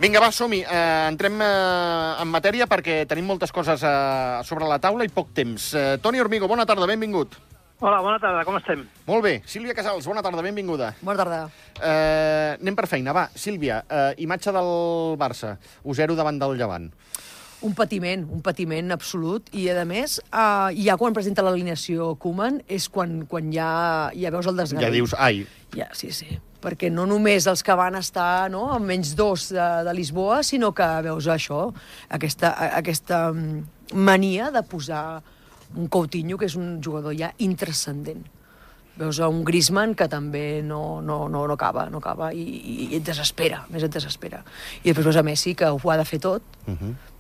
Vinga, va, som-hi. Entrem en matèria perquè tenim moltes coses sobre la taula i poc temps. Toni Hormigo, bona tarda, benvingut. Hola, bona tarda, com estem? Molt bé. Sílvia Casals, bona tarda, benvinguda. Bona tarda. Anem per feina, va. Sílvia, imatge del Barça, 1-0 davant del Llevant. Un patiment absolut. I, a més, ja quan presenta l'alineació Koeman és quan ja veus el desgavell. Ja dius, ai. Ja, sí. Perquè no només els que van estar amb menys 2 de Lisboa, sinó que veus això, aquesta mania de posar un Coutinho, que és un jugador ja intranscendent. Veus un Griezmann que també no acaba i et desespera, més et desespera. I després veus a Messi, que ho ha de fer tot,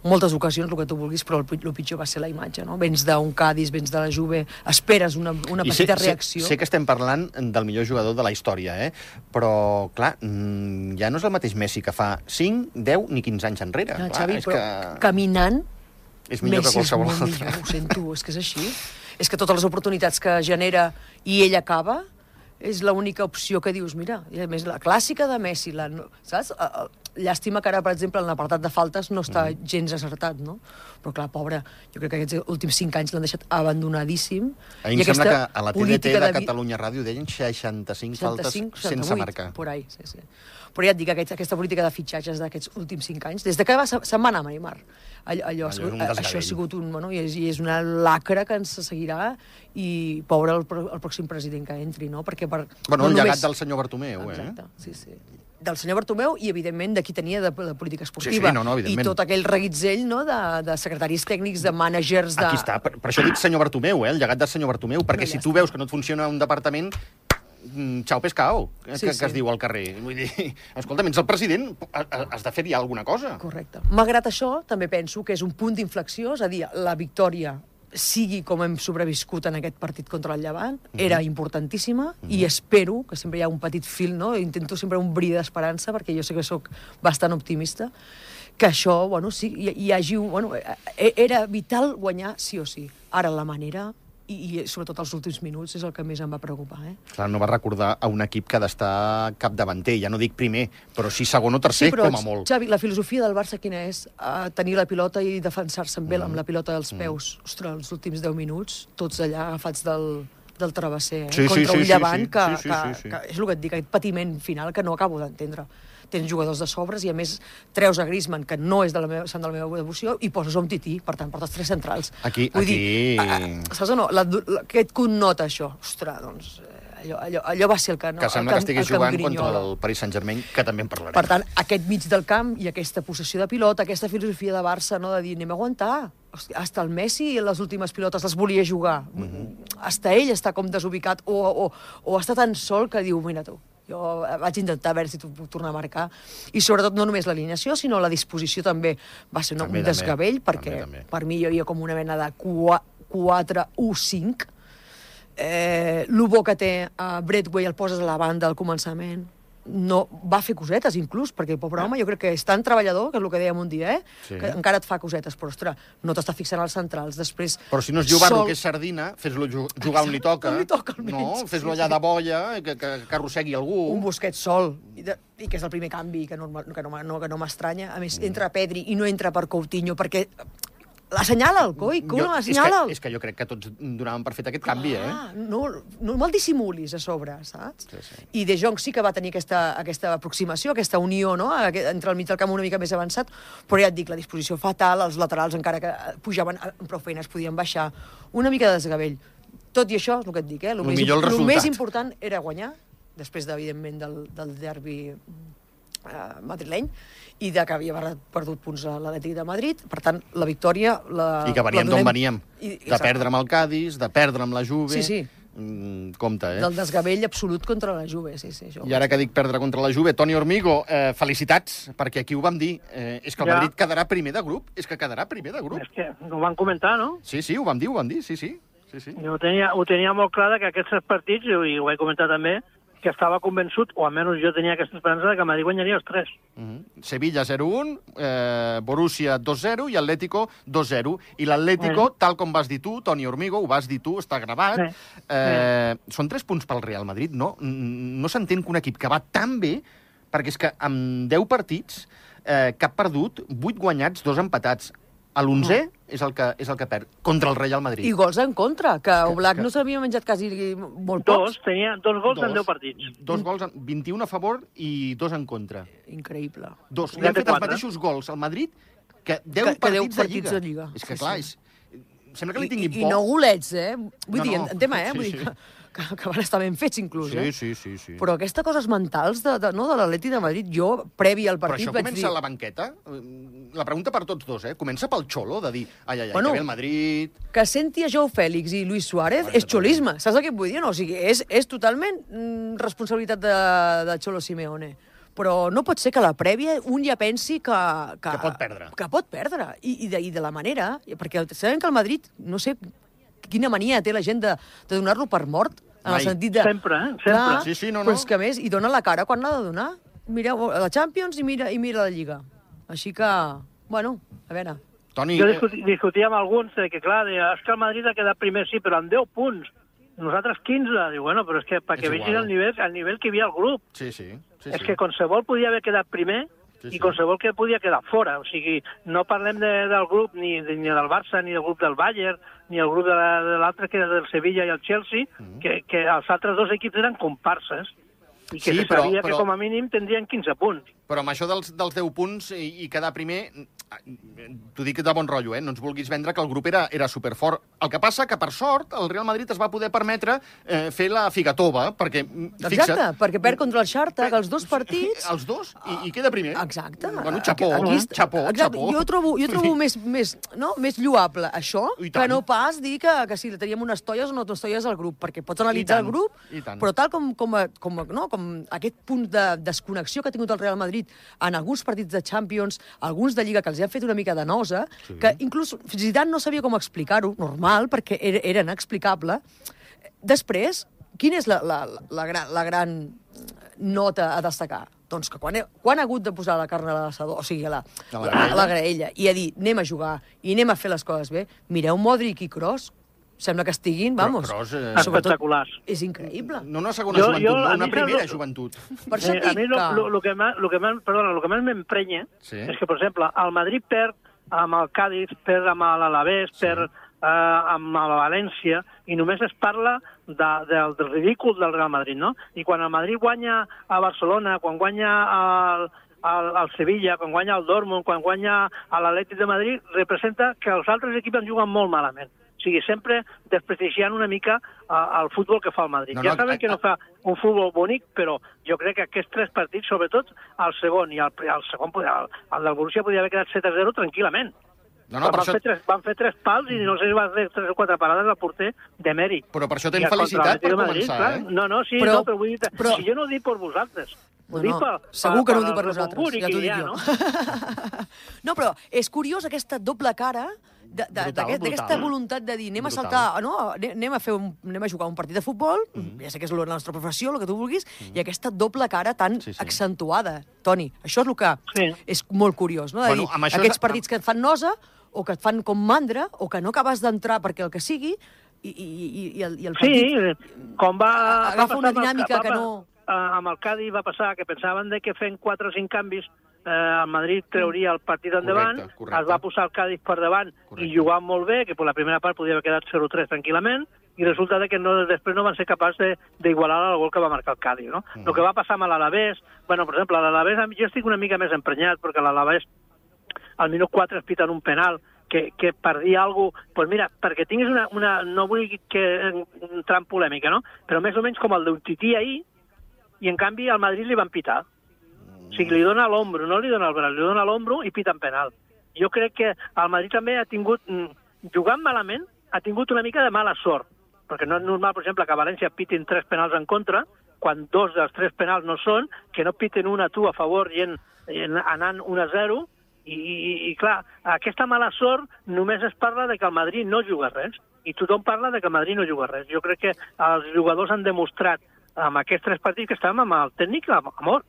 moltes ocasions, el que tu vulguis, però el pitjor va ser la imatge, no? Vens d'un Cádiz, vens de la Juve, esperes una petita reacció. Sé que estem parlant del millor jugador de la història, però, clar, ja no és el mateix Messi que fa 5, 10 ni 15 anys enrere. No, Xavi, però caminant, és millor que qualsevol altre. Millor, ho sento, és que és així. És que totes les oportunitats que genera i ell acaba, és l'única opció que dius, mira, i a més la clàssica de Messi, saps? Llàstima que ara, per exemple, en l'apartat de faltes no està gens acertat, no? Però clar, pobre, jo crec que aquests últims 5 anys l'han deixat abandonadíssim. A mi em sembla que a la TDT de Catalunya Ràdio deien 65 faltes sense marcar. Por ahí, sí. Però ja et dic, aquesta política de fitxatges d'aquests últims 5 anys, des de que se'n va anar a Neymar, això ha sigut i és una lacra que ens seguirà i pobre el pròxim president que entri, no? Perquè el llegat del senyor Bartomeu, Exacte, sí. Del senyor Bartomeu i, evidentment, de qui tenia de política esportiva. Sí, i tot aquell reguitzell de secretaris tècnics, de mànagers... Aquí està, per això dic senyor Bartomeu, el llegat del senyor Bartomeu, perquè si tu veus que no et funciona un departament, xau pescao, que es diu al carrer. Vull dir, escolta, ets el president, has de fer-hi alguna cosa. Correcte. Malgrat això, també penso que és un punt d'inflexió, és a dir, la victòria sigui com hem sobreviscut en aquest partit contra el Llevant, era importantíssima i espero, que sempre hi ha un petit fil, no? Intento sempre un bri d'esperança, perquè jo sé que sóc bastant optimista, que això, sí, hi hagi... Era vital guanyar sí o sí. Ara la manera... I sobretot els últims minuts és el que més em va preocupar. Clar, no va recordar a un equip que ha d'estar capdavanter, ja no dic primer, però sí segon o tercer, com a molt. Xavi, la filosofia del Barça quina és? Tenir la pilota i defensar-se amb la pilota dels peus. Ostres, els últims 10 minuts, tots allà agafats del travesser, contra un Llevant, que és el que et dic, aquest patiment final que no acabo d'entendre. Tens jugadors de sobres i, a més, treus a Griezmann, que no és de la meva devoció, i poses un tití, per tant, portes 3 centrals. Vull dir, saps o no? Què et connota, això? Ostres, doncs, allò va ser el que... Que sembla que estiguis jugant contra el Paris Saint-Germain, que també en parlarem. Per tant, aquest mig del camp i aquesta possessió de pilota, aquesta filosofia de Barça, no, de dir, anem a aguantar. Hasta el Messi les últimes pilotes les volia jugar. Hasta ell està com desubicat o està tan sol que diu, mira tu, jo vaig intentar veure si tu puc tornar a marcar. I sobretot no només l'alineació, sinó la disposició també va ser un desgavell, perquè per mi hi havia com una mena de 4-1-5. El bo que té Braithwaite el poses a la banda al començament. No, va fer cosetes, inclús, perquè el pobre home jo crec que és tan treballador, que és el que dèiem un dia, que encara et fa cosetes, però, ostres, no t'està fixant als centrals, després... Però si no és jugar-lo, que és sardina, fes-lo jugar on li toca. No, fes-lo allà de boia, que arrossegui algú. Un Busquets sol, i que és el primer canvi, que no m'estranya. A més, entra Pedri i no entra per Coutinho, perquè... L'assenyala el coi, l'assenyala. És que jo crec que tots donàvem per fet aquest canvi, No me'l dissimulis a sobre, saps? I De Jong sí que va tenir aquesta aproximació, aquesta unió, no?, entre el mig del camp una mica més avançat, però ja et dic, la disposició fatal, els laterals encara que pujaven amb prou feines podien baixar, una mica de desgavell. Tot i això, és el que et dic, el més important era guanyar, després, evidentment, del derbi madrileny, i que havia perdut punts a l'Atlètic de Madrid. Per tant, la victòria... I que veníem d'on veníem. De perdre amb el Cádiz, de perdre amb la Juve... Sí. Compte, Del desgavell absolut contra la Juve, sí. I ara que dic perdre contra la Juve, Toni Hormigo, felicitats, perquè aquí ho vam dir. És que el Madrid quedarà primer de grup. És que quedarà primer de grup. És que ho van comentar, no? Sí, ho vam dir, sí. Jo ho tenia molt clar que aquests 3 partits, i ho vaig comentar també, que estava convençut, o almenys jo tenia aquesta esperança, que Madrid guanyaria els 3. Sevilla 0-1, Borussia 2-0 i Atlético 2-0. I l'Atlético, tal com vas dir tu, Toni Hormigo, ho vas dir tu, està gravat, són 3 punts pel Real Madrid, no? No s'entén que un equip que va tan bé, perquè és que amb 10 partits cap perdut, 8 guanyats, 2 empatats. A l'11è és el que perd, contra el Real Madrid. I gols en contra, que Oblak no s'havia menjat quasi molt pocs. Tenia 2 gols en 10 partits. 2 gols, 21 a favor i 2 en contra. Increïble. Li han fet els mateixos gols al Madrid que 10 partits de Lliga. És que, clar, sembla que li tinguin por. I no golets, Vull dir, en tema, vull dir que van estar ben fets, inclús, Sí. Però aquestes coses mentals de l'Atleti de Madrid, jo, previ al partit, vaig dir... Però això comença a la banqueta? La pregunta per tots dos, Comença pel xolo, de dir, ai, que ve el Madrid... Que senti a Joao Fèlix i Luis Suárez és xolisme, saps què et vull dir? No, o sigui, és totalment responsabilitat de Cholo Simeone. Però no pot ser que a la prèvia un ja pensi que pot perdre. Que pot perdre. I de la manera... Perquè sabem que el Madrid, no sé quina mania té la gent de donar-lo per mort, en el sentit de... Sempre, sempre. Clar, Sí, no. Però és que, a més, hi dona la cara quan l'ha de donar. Mireu la Champions i mira la Lliga. Així que, bueno, a veure... Toni... Jo discutia amb alguns que, clar, és que el Madrid ha quedat primer, sí, però amb 10 punts. Nosaltres 15. Diu, bueno, però és que perquè vegis el nivell que hi havia al grup. Sí. És que qualsevol podia haver quedat primer i qualsevol que podia quedar fora. O sigui, no parlem del grup ni del Barça, ni del grup del Bayern, ni el grup de l'altre, que era del Sevilla i el Chelsea, que els altres 2 equips eren comparses i que se sabia que com a mínim tindrien 15 punts. Però amb això dels 10 punts i quedar primer, t'ho dic de bon rotllo, no ens vulguis vendre que el grup era superfort. El que passa que, per sort, el Real Madrid es va poder permetre fer la figatova, perquè, fixa't... Exacte, perquè perd contra el Shakhtar, els 2 partits... Els 2, i queda primer. Exacte. Bueno, xapó. Jo trobo més lloable això que no pas dir que si teníem unes tolles o no unes tolles al grup, perquè pots analitzar el grup, però tal com aquest punt de desconnexió que ha tingut el Real Madrid en alguns partits de Champions, alguns de Lliga, que els han fet una mica de nosa, que inclús Zidane no sabia com explicar-ho, normal, perquè era inexplicable. Després, quina és la gran nota a destacar? Doncs que quan ha hagut de posar la carn a l'assador, o sigui, a la graella, i a dir, anem a jugar i anem a fer les coses bé, mireu Modric i Kroos, sembla que estiguin, vamos... Espectaculars. És increïble. No una segona joventut, no una primera joventut. Per això a mi el que més m'emprenya és que, per exemple, el Madrid perd amb el Cádiz, perd amb l'Alavés, perd amb la València, i només es parla del ridícul del Real Madrid, no? I quan el Madrid guanya a Barcelona, quan guanya al Sevilla, quan guanya al Dortmund, quan guanya a l'Atlètic de Madrid, representa que els altres equips han jugat molt malament. O sigui, sempre desprestigiant una mica el futbol que fa el Madrid. Ja saben que no fa un futbol bonic, però jo crec que aquests 3 partits, sobretot el segon i el segon, el del Borussia podia haver quedat 7-0 tranquil·lament. Van fer 3 pals i no sé si va fer 3 o 4 parades al porter de mèrit. Però per això tens felicitat per començar, No, però vull dir... Si jo no ho dic per vosaltres. Segur que no ho dic per nosaltres, ja t'ho dic jo. No, però és curiós aquesta doble cara d'aquesta voluntat de dir anem a saltar, anem a jugar un partit de futbol, ja sé que és la nostra professió, el que tu vulguis, i aquesta doble cara tan accentuada. Toni, això és el que és molt curiós, no? De dir, aquests partits que et fan nosa, o que et fan com mandra, o que no acabes d'entrar perquè el que sigui, i el partit... Sí, com va... Agafa una dinàmica que no... Amb el Cádiz va passar que pensaven que fent 4 o 5 canvis el Madrid trauria el partit endavant, es va posar el Cádiz per davant i jugant molt bé, que per la primera part podia haver quedat 0-3 tranquil·lament, i resulta que després no van ser capaços d'igualar el gol que va marcar el Cádiz, no? El que va passar amb l'Alavés, per exemple, l'Alavés jo estic una mica més emprenyat, perquè l'Alavés al minut 4 es piten un penal que per dir alguna cosa, doncs mira, perquè tinguis una no vull entrar en polèmica, no? Però més o menys com el d'un Tití ahir, i en canvi al Madrid li van pitar. O sigui, li dona l'ombro, no li dona el braç, li dona l'ombro i pita en penal. Jo crec que el Madrid també ha tingut, jugant malament, ha tingut una mica de mala sort, perquè no és normal, per exemple, que a València pitin 3 penals en contra, quan 2 dels 3 penals no són, que no piten una a tu a favor i anant 1-0, i clar, aquesta mala sort només es parla de que el Madrid no juga res, i tothom parla de que el Madrid no juga res. Jo crec que els jugadors han demostrat amb aquests 3 partits que estàvem amb el tècnic a mort.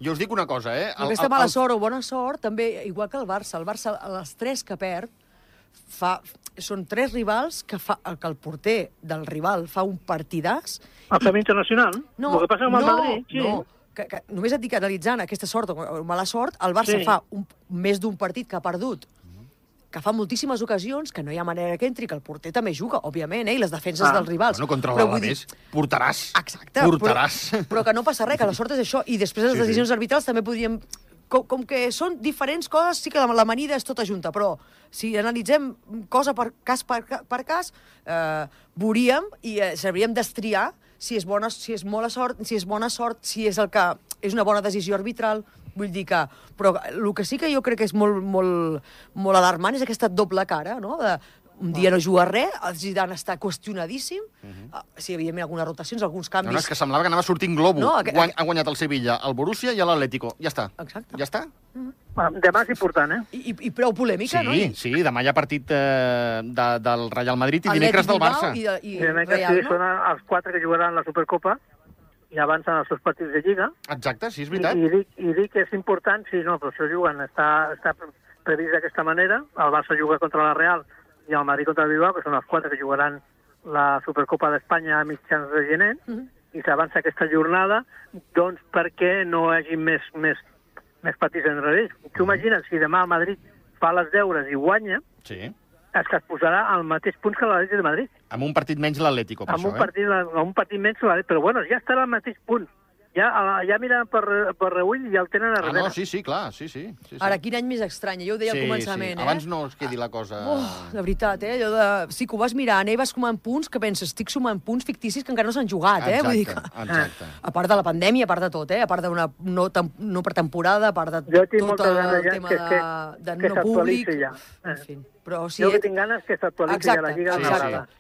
Jo us dic una cosa, Aquesta mala sort o bona sort, també, igual que el Barça, a les 3 que perd, són 3 rivals que el porter del rival fa un partidàs... El Fem Internacional? No, el que passa amb el Madrid? Sí. que només et dic analitzant aquesta sort o mala sort, el Barça fa més d'un partit que ha perdut, que fa moltíssimes ocasions, que no hi ha manera que entri, que el porter també juga, òbviament, i les defenses dels rivals. No contra l'Alavés, portaràs. Exacte. Portaràs. Però que no passa res, que la sort és això. I després les decisions arbitrals també podríem... Com que són diferents coses, sí que l'amanida és tota junta, però si analitzem cosa per cas, veuríem i sabríem destriar si és bona sort, si és el que és una bona decisió arbitral. Vull dir que... Però el que sí que jo crec que és molt alarmant és aquesta doble cara, no? Un dia no juga res, el Zidane està qüestionadíssim, sí, evidentment, algunes rotacions, alguns canvis... No, és que semblava que anava sortint globo. Ha guanyat el Sevilla, el Borussia i l'Atlético. Ja està. Exacte. Ja està. Demà és important, I prou polèmica, no? Sí, demà hi ha partit del Real Madrid i dimecres del Barça. I dimecres són els 4 que jugaran la Supercopa i avancen els seus partits de Lliga. Exacte, sí, és veritat. I dic que és important, sí, no, però això juguen, està previst d'aquesta manera, el Barça juga contra la Real i el Madrid contra el Bilbao, que són els 4 que jugaran la Supercopa d'Espanya a mitjans de gener, i s'avança aquesta jornada, doncs perquè no hi hagi més partits enrere ells. Tu imagina't, si demà el Madrid fa les deures i guanya, és que es posarà al mateix punts que l'Atlètic de Madrid. Amb un partit menys l'Atlético, per això, Amb un partit menys l'Atlético, però bueno, ja estarà al mateix punt. Ja miren per reull i ja el tenen a darrere. No, sí, clar, sí. Ara, quin any més estrany, jo ho deia al començament, Abans no es quedi la cosa... De veritat, allò de... Sí que ho vas mirant, vas sumant punts, que penses, estic sumant punts ficticis que encara no s'han jugat, Vull dir que... Exacte. A part de la pandèmia, a part de tot, a part d'una no pretemporada, a part de tot el tema de no públic... En fi. Però sí, jo que tinc ganes que s'actualitzi a la Lliga.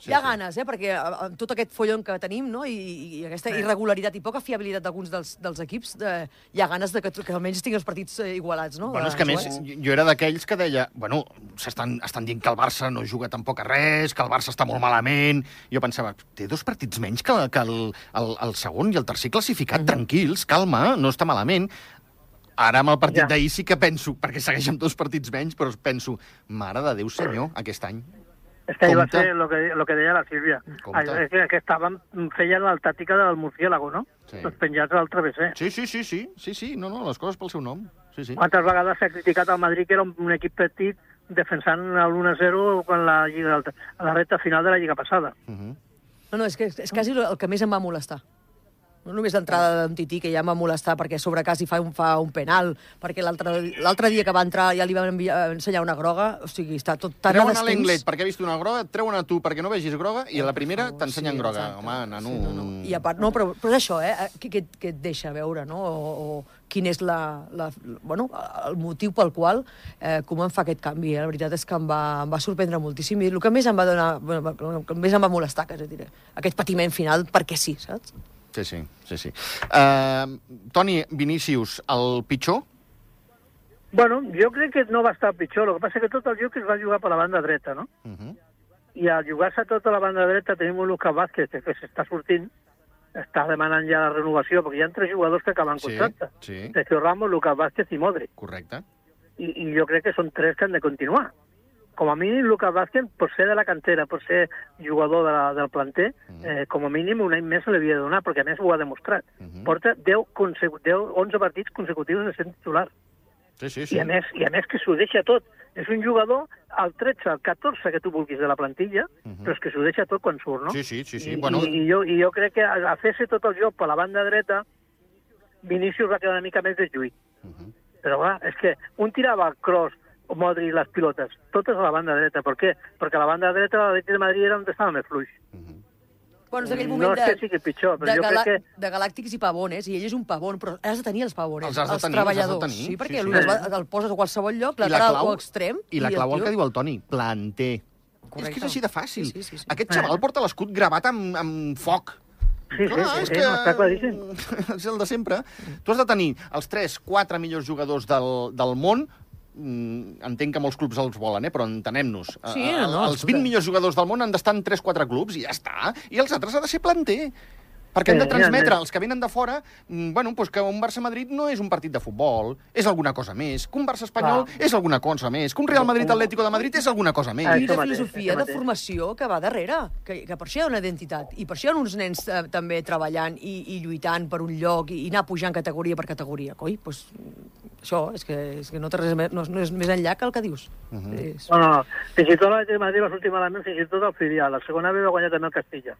Hi ha ganes, perquè amb tot aquest follon que tenim, no? I aquesta irregularitat i poca fiabilitat d'alguns dels equips, hi ha ganes que almenys tinguin els partits igualats, no? Bueno, és que a més, jo era d'aquells que deia, bueno, estan dient que el Barça no juga tampoc a res, que el Barça està molt malament. Jo pensava, té 2 partits menys que el segon i el tercer classificat, tranquils, calma, no està malament. Ara amb el partit d'ahir sí que penso, perquè segueix amb 2 partits menys, però penso, mare de Déu senyor, aquest any. És que ahir va ser el que deia la Sílvia. És que feien la tàctica del murciélago, no? Els penjats al travesser. Sí, no, les coses pel seu nom. Quantes vegades s'ha criticat al Madrid que era un equip petit defensant l'1-0 a la recta final de la Lliga passada. No, és quasi el que més em va molestar. No només l'entrada d'en Tití, que ja em va molestar perquè sobre quasi fa un penal, perquè l'altre dia que va entrar ja li van ensenyar una groga, o sigui, està tot tan a descens. Treuen a l'Englet perquè ha vist una groga, treuen a tu perquè no vegis groga, i a la primera t'ensenyen groga. Home, nano... I a part, no, però és això, què et deixa veure, no? O quin és el motiu pel qual Koeman fa aquest canvi. La veritat és que em va sorprendre moltíssim, i el que més em va molestar, que diré, aquest patiment final, perquè sí, saps? Sí. Toni, Vinícius, el pitjor? Bueno, jo crec que no va estar pitjor. El que passa que tot el joc es va jugar per la banda dreta, no? I al jugar-se tota la banda dreta tenim un Lucas Vázquez que s'està sortint, està demanant ja la renovació, perquè hi ha 3 jugadors que acaben contracte. Sergio Ramos, Lucas Vázquez i Modric. Correcte. I jo crec que són 3 que han de continuar. Com a mínim, Lucas Vázquez, per ser de la cantera, per ser jugador del planter, com a mínim un any més se l'havia de donar, perquè a més ho ha demostrat. Porta 11 partits consecutius de ser titular. Sí. I a més que s'ho deixa tot. És un jugador al 13, al 14 que tu vulguis de la plantilla, però és que s'ho deixa tot quan surt, no? Sí. I jo crec que a fer-se tot el joc per la banda dreta, Vinícius va quedar una mica més deslluït. Però clar, és que un tirava el cross, Modric les pilotes, totes a la banda dreta. Per què? Perquè a la banda dreta l'Atlètic de Madrid era on estava més fluix. Bueno, és aquell moment no és que sigui pitjor, però jo crec que... De Galàctics i Pavones, i ell és un pavón, però has de tenir els pavones, els treballadors. Sí, perquè el poses a qualsevol lloc, lateral o extrem... I la clau, el que diu el Toni, planter. És que és així de fàcil. Aquest xaval porta l'escut gravat amb foc. Sí, està claríssim. És el de sempre. Tu has de tenir els 3-4 millors jugadors del món. Entenc que molts clubs els volen, però entenem-nos. Els 20 millors jugadors del món han d'estar en 3-4 clubs i ja està. I els altres ha de ser planter. Perquè hem de transmetre als que venen de fora que un Barça-Madrid no és un partit de futbol, és alguna cosa més, que un Barça-Espanyol és alguna cosa més, que un Real Madrid-Atlético de Madrid és alguna cosa més. I la filosofia de formació que va darrere, que per això hi ha una identitat, i per això hi ha uns nens també treballant i lluitant per un lloc i anar pujant categoria per categoria. Coi, doncs això és que no té res més, no és més enllà que el que dius. No. Fins i tot l'Atlètic de Madrid va sortir malament, fins i tot el filial. La segona vez va guanyar també el Castilla.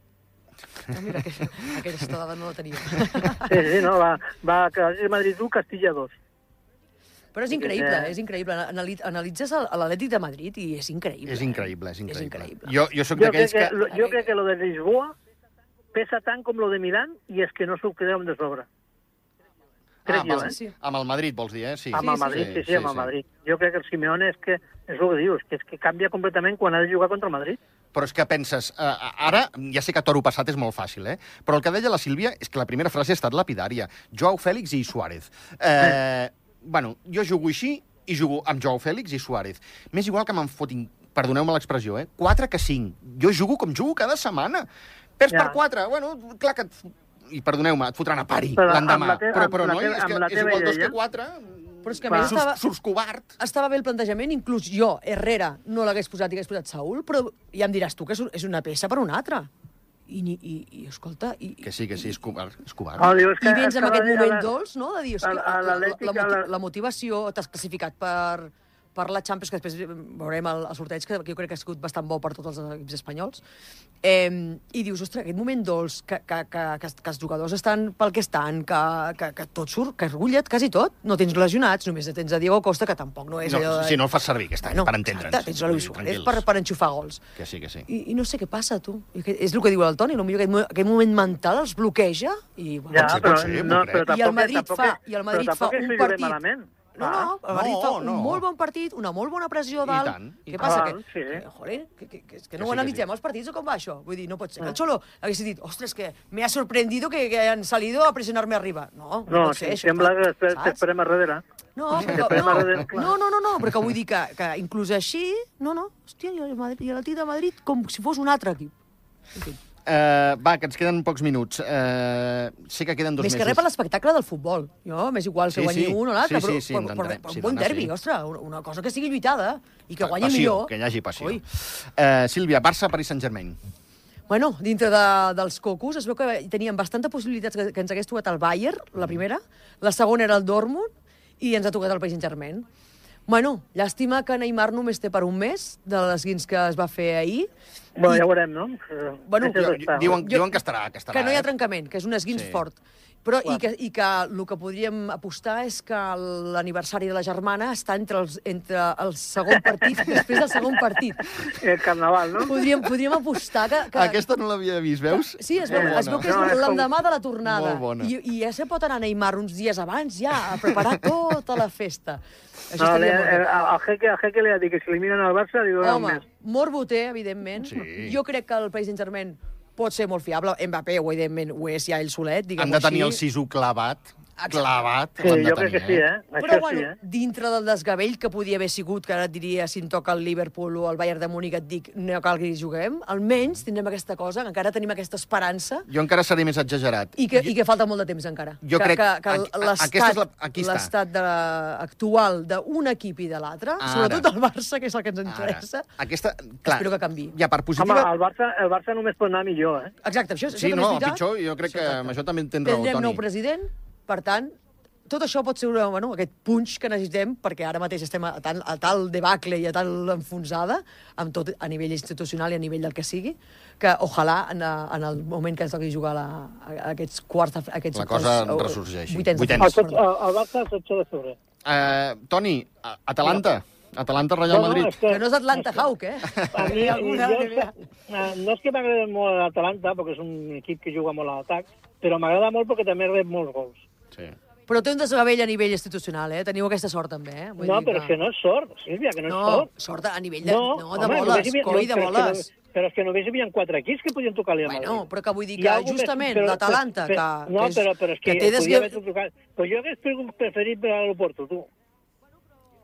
Mira, aquesta dada no la tenia. Sí, no, va l'Atlètic de Madrid 1, Castilla 2. Però és increïble. Analitzes l'Atlètic de Madrid i és increïble. És increïble. Jo soc d'aquells que... Jo crec que lo de Lisboa pesa tant com lo de Milán i és que no s'ho creu de sobre. Amb el Madrid, vols dir, eh? Sí. Amb el Madrid, sí, amb el Madrid. Jo crec que el Simeone és el que dius, que és que canvia completament quan ha de jugar contra el Madrid. Però és que penses, ara, ja sé que toro passat és molt fàcil, però el que deia la Sílvia és que la primera frase ha estat lapidària. Joao Fèlix i Suárez. Jo jugo així i jugo amb Joao Fèlix i Suárez. M'és igual que me'n fotin, perdoneu-me l'expressió, 4 que 5. Jo jugo com jugo cada setmana. Perds per 4, clar que... I perdoneu-me, et fotran a pari l'endemà. Però no, és igual 2 que 4... Però és que a més surts covard. Estava bé el plantejament, inclús jo, Herrera, no l'hagués posat i hagués posat Saúl, però ja em diràs tu que és una peça per una altra. I escolta... Que sí, és covard. I vens amb aquest moment dolç, no?, de dir, la motivació, t'has classificat per la Champions, que després veurem el sorteig, que jo crec que ha sigut bastant bo per tots els equips espanyols, i dius, ostres, aquest moment dolç, que els jugadors estan pel que estan, que tot surt, que es rullet quasi tot, no tens lesionats, només tens a Diego Costa, que tampoc no és allò de... Si no el fas servir aquest any, per entendre'ns. Tens a Luis Suárez per enxufar gols. Que sí. I no sé què passa, tu. És el que diu el Toni, potser aquest moment mental els bloqueja, i el Madrid fa un partit... No, el Madrid fa un molt bon partit, una molt bona pressió dalt. Què passa? Que no ho analitzem els partits o com va això? Vull dir, no pot ser. El Xolo hagués dit, ostres, que me ha sorprendido que han salido a presionar-me arriba. No pot ser això. Sembla que t'esperem a darrere. No, però que vull dir que inclús així, hòstia, i l'Atlètic de Madrid com si fos un altre equip. En fi. Que ens queden pocs minuts. Sé que queden 2 mesos. Més que res per l'espectacle del futbol. Jo, m'és igual que guanyi un o l'altre, però un bon derbi, ostres, una cosa que sigui lluitada i que guanyi millor. Que hi hagi passió. Sílvia, Barça, Paris Saint-Germain. Bueno, dintre dels cocos es veu que teníem bastanta possibilitats que ens hagués tocat el Bayern, la primera, la segona era el Dortmund i ens ha tocat el Paris Saint-Germain. Bueno, llàstima que Neymar només té per un mes de l'esguins que es va fer ahir. Bueno, ja ho veurem, no? Diuen que estarà. Que no hi ha trencament, que és un esguins fort. Però, i que el que podríem apostar és que l'aniversari de la germana està entre el segon partit i després del segon partit. El carnaval, no? Podríem apostar que... Aquesta no l'havia vist, veus? Sí, es veu que és l'endemà de la tornada. Molt bona. I ja se pot anar a Neymar uns dies abans, ja, a preparar tota la festa. No, al Jeque li ha dit que si eliminen el Barça, li donen un mes. Morbo té, evidentment. Jo crec que el Paris Saint-Germain pot ser molt fiable. Mbappé, evidentment, ho és ja ell solet, diguem-ho així. Han de tenir el sisú clavat. Sí, jo crec que sí, Però, bueno, dintre del desgavell que podia haver sigut, que ara et diria, si em toca el Liverpool o el Bayern de Múnich, et dic, no cal que hi juguem, almenys tindrem aquesta cosa, encara tenim aquesta esperança. Jo encara seré més exagerat. I que falta molt de temps, encara. Jo crec que l'estat actual d'un equip i de l'altre, sobretot el Barça, que és el que ens interessa, espero que canvi. Home, el Barça només pot anar millor, Exacte, això sí, no, pitjor, jo crec que amb això també tens raó, Toni. Tindrem nou president. Per tant, tot això pot ser aquest punx que necessitem, perquè ara mateix estem a tal debacle i a tal enfonsada, amb tot a nivell institucional i a nivell del que sigui, que ojalà en el moment que ens toqui jugar aquests quarts... La cosa ressorgeixi. Vuitens. El Barça el 16 de febrer. Toni, Atalanta. Atalanta-Real Madrid. Que no és Atlanta Hawk, No és que m'agrada molt l'Atalanta, perquè és un equip que juga molt a l'atac, però m'agrada molt perquè també rep molts gols. Sí. Però té un desgavell a nivell institucional, Teniu aquesta sort, també, No, però és que no és sort, Sílvia, que no és sort. No, sort a nivell de boles, coi, de boles. Però és que només hi havia 4 equips que podien tocar-li a Madrid. Bueno, però que vull dir que justament l'Atalanta, que té desgavell... Però jo hagués preferit per a l'Oporto, tu.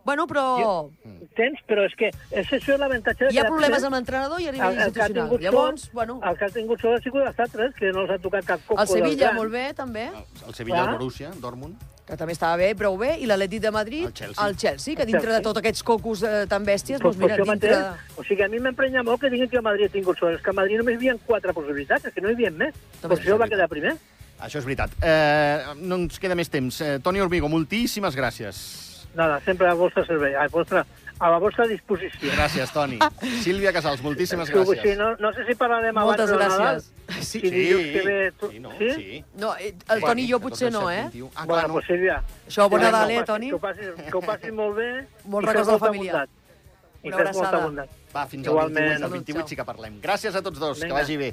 Bueno, però... Tens, però és que això és l'avantatge... Hi ha problemes amb l'entrenador i a nivell institucional. Llavors, bueno... El que ha tingut sort ha sigut els altres, que no els ha tocat cap coco. El Sevilla, molt bé, també. El Sevilla, el Borussia, Dortmund. Que també estava bé, prou bé, i l'Atlètic de Madrid, el Chelsea, que dintre de tots aquests cocos tan bèsties, doncs mira, dintre... O sigui, a mi m'emprenya molt que diguin que el Madrid ha tingut sort. És que a Madrid només hi havia 4 possibilitats, és que no hi havia més. Per això va quedar primer. Això és veritat. No ens queda més temps. Toni Orbigo, moltíssimes gràcies. Nada, sempre al vostre servei, a la vostra disposició. Gràcies, Toni. Sílvia Casals, moltíssimes gràcies. Sí, no sé si parlarem abans de Nadal. Sí, sí. No, el Toni i jo potser no, eh? Bueno, pues Sílvia... Això, bon Nadal, Toni? Que ho passis molt bé. Molts records de la família. Una abraçada. Va, fins al 28 sí que parlem. Gràcies a tots dos, que vagi bé.